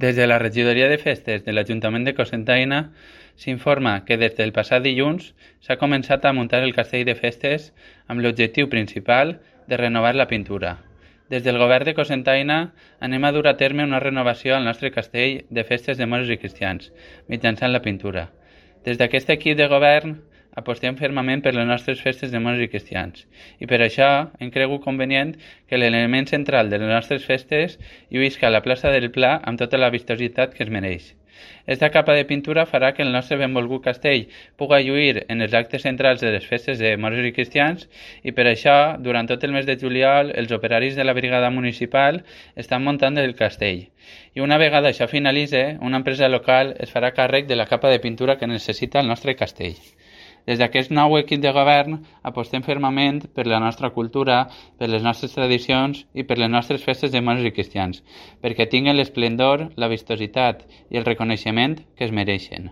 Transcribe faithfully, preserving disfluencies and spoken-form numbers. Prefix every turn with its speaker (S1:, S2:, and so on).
S1: Des de la Regidoria de Festes de l'Ajuntament de Cocentaina s'informa que des del passat dilluns s'ha començat a muntar el castell de festes amb l'objectiu principal de renovar la pintura. Des del govern de Cocentaina anem a dur a terme una renovació al nostre castell de festes de moros i cristians, mitjançant la pintura. Des d'aquest equip de govern apostem fermament per les nostres festes de moros i cristians i per això hem cregut convenient que l'element central de les nostres festes lluïsca a la plaça del Pla amb tota la vistositat que es mereix. Esta capa de pintura farà que el nostre benvolgut castell pugui lluir en els actes centrals de les festes de moros i cristians i per això, durant tot el mes de juliol, els operaris de la brigada municipal estan muntant el castell. I una vegada això finalitzi, una empresa local es farà càrrec de la capa de pintura que necessita el nostre castell. Des d'aquest nou equip de govern apostem fermament per la nostra cultura, per les nostres tradicions i per les nostres festes de moros i cristians, perquè tinguen l'esplendor, la vistositat i el reconeixement que es mereixen.